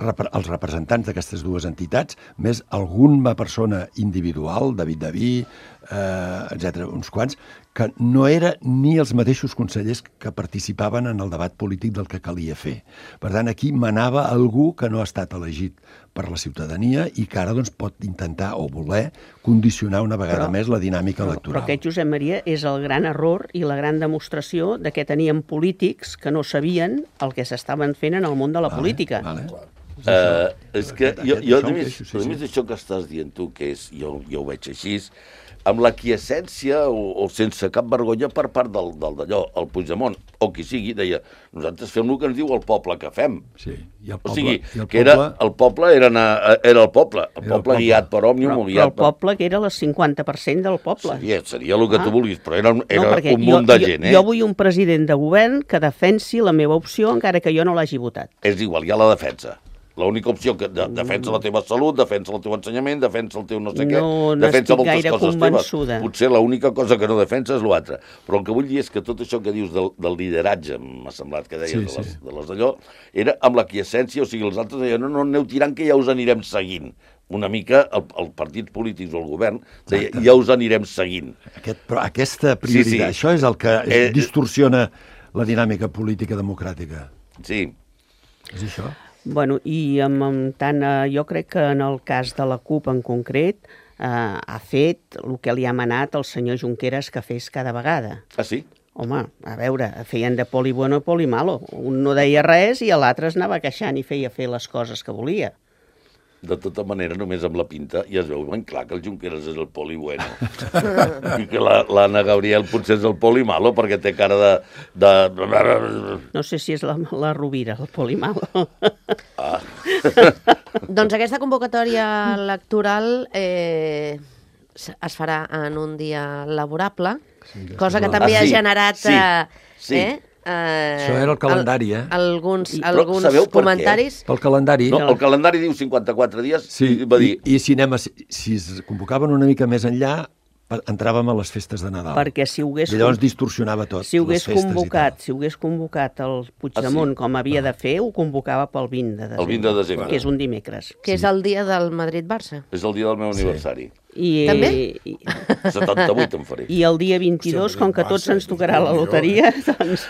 els representants d'aquestes dues entitats, més alguna persona individual, David Daví, eh, etcètera, uns quants, que no eren ni els mateixos consellers que participaven en el debat polític del que calia fer. Per tant, aquí manava algú que no ha estat elegit per la ciutadania i que ara doncs, pot intentar o voler condicionar una vegada Però- més la dinàmica Però, electoral. però aquest, Josep Maria, és el gran error i la gran demostració de que teníem polítics que no sabien el que s'estaven fent en el món de la Vale, política. Vale. Uh, és que jo, jo Això a em més, queixo, sí, a sí. més d'això que estàs dient tu, que és, jo, jo ho veig així, amb la quiescència o, o sense cap vergonya per part del, del d'allò, el Puigdemont, o qui sigui, deia, nosaltres fem el que ens diu el poble que fem. Sí. I el O poble, sigui, i el que era, poble- el poble era, anar, era el poble, el Era el poble poble. guiat per Òmnium Però, o però guiat el poble que era el cinquanta per cent del poble. Seria, seria el que Ah. tu vulguis, però era, un- era no, perquè un munt jo, de gent, jo, eh? Jo vull un president de govern que defensi la meva opció encara que jo no l'hagi votat. És igual, hi ha la defensa. L'única opció que de, defensa la teva salut, defensa el teu ensenyament, defensa el teu no sé què, No defensa n'estic moltes gaire coses convençuda. teves. Potser l'única cosa que no defensa és l'altra. Però el que vull dir és que tot això que dius del, del lideratge, m'ha semblat que deies, Sí, de, les, sí. de les d'allò, era amb la quiescència, o sigui, els altres deien, no, no, aneu tirant que ja us anirem seguint. Una mica el, el partits polítics o el govern deia, Exacte. ja us anirem seguint. Aquest, però aquesta prioritat, Sí, sí. això és el que Eh, distorsiona la dinàmica política democràtica. Sí, És això? Bueno, i amb, amb tant, eh, jo crec que en el cas de la CUP en concret eh, ha fet el que li ha manat el senyor Junqueras que fes cada vegada. ah sí? Home, a veure, feien de poli bueno i poli malo. Un no deia res i l'altre es anava queixant i feia fer les coses que volia. De tota manera, només amb la pinta, ja es veu ben clar que el Junqueras és el poli bueno. I que la- l'Anna Gabriel potser és el poli malo, perquè té cara de... de... No sé si és la, la Rovira, el poli malo. Doncs aquesta convocatòria electoral eh, s- es farà en un dia laborable, cosa que és la- també Ah, ha sí, generat sí, eh, sí. eh, eh, Això era el calendari, eh? Alguns, I- però alguns sabeu per què? comentaris. Pel calendari... No, el calendari diu cinquanta-quatre dies, Sí, i va dir... i, i si, anem a, si es convocaven una mica més enllà, entràvem a les festes de Nadal. Perquè si ho hagués... I llavors distorsionava tot, si ho hagués les festes convocat, i tal. si ho hagués convocat el Puigdemont Ah, sí? com havia de fer, ho convocava pel vint de desembre. El vint de desembre. Que és un dimecres. Que és el dia del Madrid-Barça. És el dia del meu aniversari. I, També? I, setanta-vuit em faré. I el dia vint-i-dos, Hòstia, com que tots Barça, ens tocarà la Déu-n'hi-do, loteria, doncs...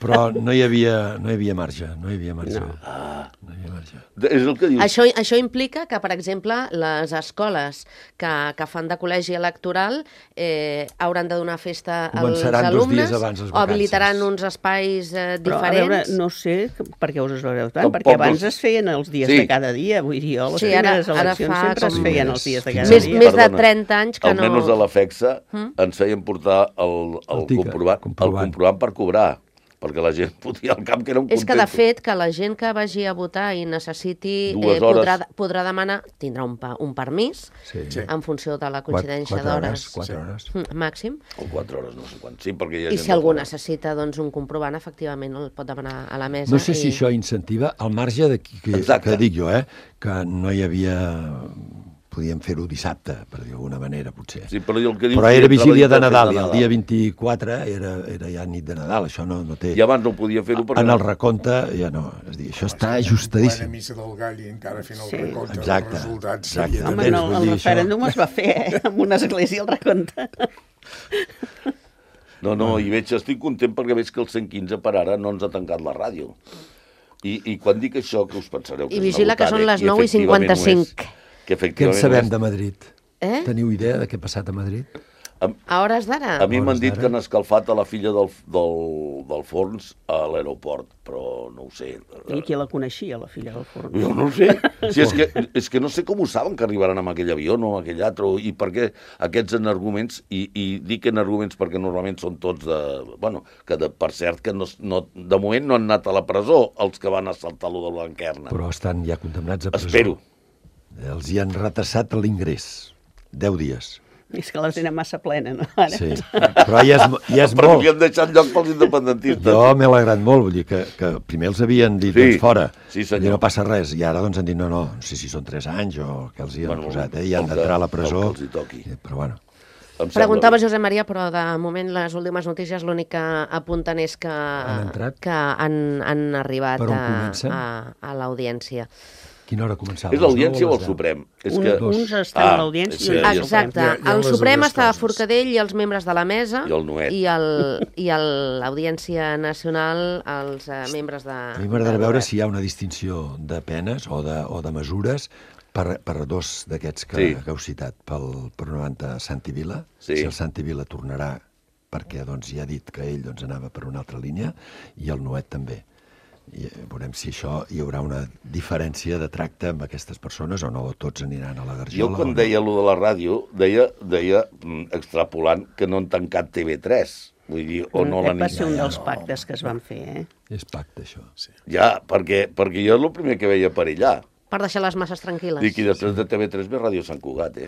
Però no hi havia, no hi havia marge, no hi havia marge. No. Ah, No hi havia marge. és el que dius. Això, això implica que, per exemple, les escoles que, que fan de col·legi electoral eh, hauran de donar festa als Començaran dos alumnes dies abans les o vacances. habilitaran uns espais eh, Però, a veure, diferents. no sé per què us esvereu tant, Tampoc perquè abans els- es feien els dies Sí. de cada dia, vull dir, jo, les Sí, ara- primeres ara eleccions fa sempre es com- feien els dies de cada Més, dia. més de Perdona. trenta anys que no... Almenys a la FEXA ens feien portar el, el, El tiquet, comprovant, el comprovant. comprovant per cobrar, perquè la gent fotia al camp que era un És que, de contento. fet, que la gent que vagi a votar i necessiti... Dues eh, podrà, hores. podrà demanar, tindrà un, pa, un permís Sí. Sí. en funció de la Quatre, coincidència quatre hores, d'hores quatre hores. mm, màxim. O quatre hores, no sé quan. Sí, perquè hi ha I gent si algú de fora. necessita doncs, un comprovant, efectivament el pot demanar a la mesa. No sé si i... això incentiva, al marge de que, Exacte. que dic jo, eh, que no hi havia... Podíem fer-ho dissabte, per dir d'alguna manera, potser. Sí, però, el que dius Però que era entrava vigília dintre de el fet Nadal i el dia vint-i-quatre era, era ja nit de Nadal, això no, no té... I abans no podia fer-ho perquè... En el recompte ja no, és a dir, això està Plena ajustadíssim. missa del gall i encara fent el Sí. recompte Exacte, dels resultats. exacte. seria Home, també- no, vull el dir, això- referèndum es va fer, eh? En una església el recompte. No, no, i veig, estic content perquè veig que el cent quinze per ara no ens ha tancat la ràdio. I, i quan dic això, que us pensareu que I és vigila una que són botada, les i nou i efectivament ho és, cinquanta-cinc. que Què en efectivament sabem ho és. de Madrid? Eh? Teniu idea de què ha passat a Madrid? A hores d'ara? A mi m'han Hores dit d'ara. que han escalfat a la filla del, del, del Forns a l'aeroport, però no ho sé. I qui la coneixia, la filla del forn? Jo no ho sé. Si és, que, és que no sé com ho saben que arribaran amb aquell avió o amb aquell altre, i per què aquests en arguments, i, i dic en arguments perquè normalment són tots de... Bueno, que de, per cert, que no, no, de moment no han anat a la presó els que van assaltar lo de Blanquerna. Però estan ja condemnats a presó. Espero. Els hi han retrasat l'ingrés. Deu dies. És que la tenen massa plena, no? Ara. Sí. Però ja és, ja és Però molt. havien deixat lloc pels independentistes. Jo m'he alegrat molt, vull dir que, que primer els havien dit, Sí, doncs fora, sí, senyor. i no passa res, i ara doncs han dit, no, no, no sé si són tres anys o què els hi han Bueno, posat, eh? i han el que- d'entrar a la el presó. que els hi toqui. Eh, Però bueno, Em sembla Preguntava bé. Josep Maria, però de moment les últimes notícies l'únic que apunten és que Han entrat? que han, han arribat Per on a, comencen? a, a l'audiència. quina hora començava? És l'audiència o el Suprem? És Un, que... uns estan Ah, a l'audiència sí, i uns ja al està. Exacte. Hi ha- hi ha El les Suprem dues està a coses. Forcadell i els membres de la mesa I el Nuet. i el- i el- l'Audiència Nacional els eh, membres de... A mi m'agradarà del veure govern. si hi ha una distinció de penes o de, o de mesures per, per dos d'aquests que, Sí. que heu citat, pel, per una banda Santi Vila, Sí. si el Santi Vila tornarà perquè doncs, ja ha dit que ell doncs, anava per una altra línia, i el Nuet també. I eh, veurem si això hi haurà una diferència de tracte amb aquestes persones o no, o tots aniran a la Jo garjola. quan o no. deia allò de la ràdio, deia, deia mm, extrapolant que no han tancat T V tres. Vull dir, o no l'han... Aquest va ser un ja, dels no. pactes que es van fer, eh? És pacte, això. Sí. Ja, perquè, perquè jo és el primer que veia per allà. Per deixar les masses tranquil·les. Dic, i després de T V tres ve Ràdio Sant Cugat, eh?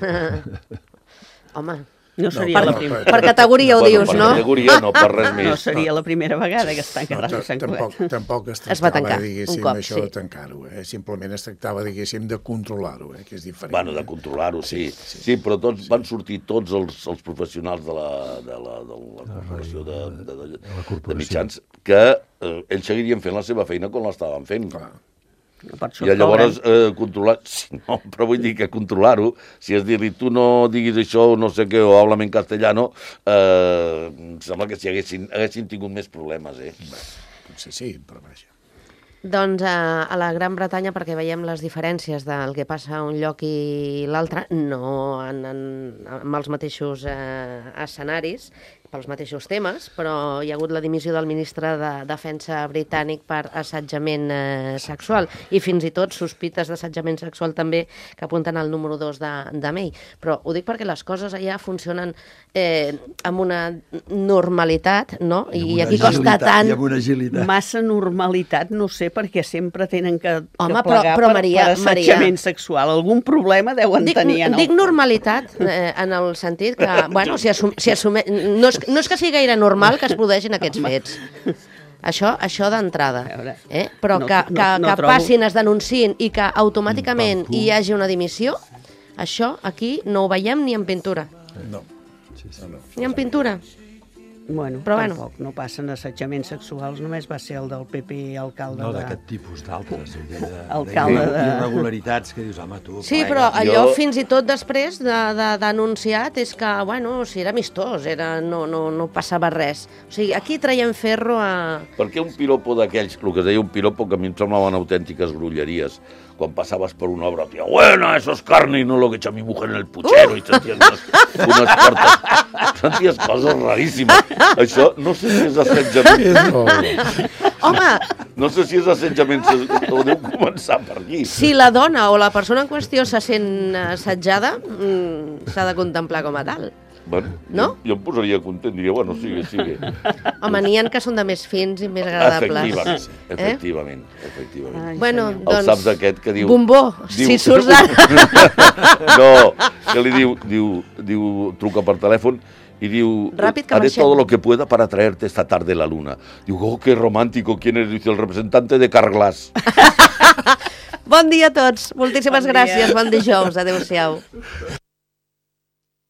Home, No seria per- la per- primera... per categoria ho Bueno, dius, per no? categoria no, per res més. No seria la primera vegada que es tanca No, Ràdio ta- Sant tampoc, Cugat. tampoc es Es va tractava, tancar, diguéssim, un cop, això de sí. tancar-ho. Eh? Simplement es tractava, diguéssim, de controlar-ho, eh? que és diferent. Bueno, de controlar-ho, sí. Sí, sí però tots van sortir tots els, els professionals de la, de la, de la corporació de, de, de, de la de corporació. mitjans que eh, ells seguirien fent la seva feina com l'estaven fent. Clar. Per això I llavors cobren. eh, controlar... Sí, no, però vull dir que controlar-ho, si és dir-li tu no diguis això o no sé què, o háblame en castellano, eh, em sembla que si haguessin, haguessin tingut més problemes, eh? Potser sí, però vaja. Doncs a, a la Gran Bretanya, perquè veiem les diferències del que passa a un lloc i l'altre, no en, en, amb els mateixos eh, escenaris, pels mateixos temes, però hi ha hagut la dimissió del ministre de Defensa britànic per assetjament eh, sexual i fins i tot sospites d'assetjament sexual també que apunten al número dos de, de May. Però ho dic perquè les coses allà funcionen eh, amb una normalitat, no? I, amb una aquí costa agilitat, tant... I amb una agilitat. Massa normalitat, no sé, perquè sempre tenen que, Home, que però- plegar però, per, Maria, per assetjament Maria. sexual. Algun problema deuen Dic, tenir en el... dic normalitat eh, en el sentit que, bueno, si, assum, si assume, no, és, no és que sigui gaire normal que es produeixin aquests fets. Això, això d'entrada. A veure, Eh? Però no- que, no- que, no que trobo- passin, es denunciïn i que automàticament Pim, pam, pum. hi hagi una dimissió, això aquí no ho veiem ni en pintura. No. Sí, sí. No, no. Ni en pintura. Bueno, Però bueno. tampoc no passen assetjaments sexuals, només va ser el del P P alcalde No de... d'aquest tipus, d'altres. Alcalde de- Irregularitats que dius, home, tu... Sí, Bueno, però allò jo- fins i tot després de, de, denunciat és que, bueno, si era amistós, era, no, no, no passava res. O sigui, aquí traiem ferro a... Perquè un piropo d'aquells, el que es deia un piropo, que a mi em semblaven autèntiques grulleries, quan passaves per una obra, tia, bueno, eso es carne y no lo que echa mi mujer en el puchero, uh! i senties unes, unes portes, senties coses raríssimes. Això, no sé si és assetjament, És molt... Home, no sé si és assetjament, o deu començar per aquí. si la dona o la persona en qüestió se sent assetjada, mm, s'ha de contemplar com a tal. Bueno, No? jo, jo em posaria content, diria, bueno, sigue, sigue. Home, n'hi ha que són de més fins i més agradables. Efectivament, Eh? efectivament, efectivament. Ai, Bueno, senyor. El doncs... saps aquest que diu... Bombó, diu- si surts d'ara... No, que li diu, diu, diu, truca per telèfon y diu, Ràpid, que haré marxem. todo lo que pueda para traerte esta tarde la luna. Diu, oh, qué romántico, ¿quién es? Dice, el representante de Carglass. Bon dia a tots. Moltíssimes Bon dia. gràcies. Bon dijous. Adéu-siau.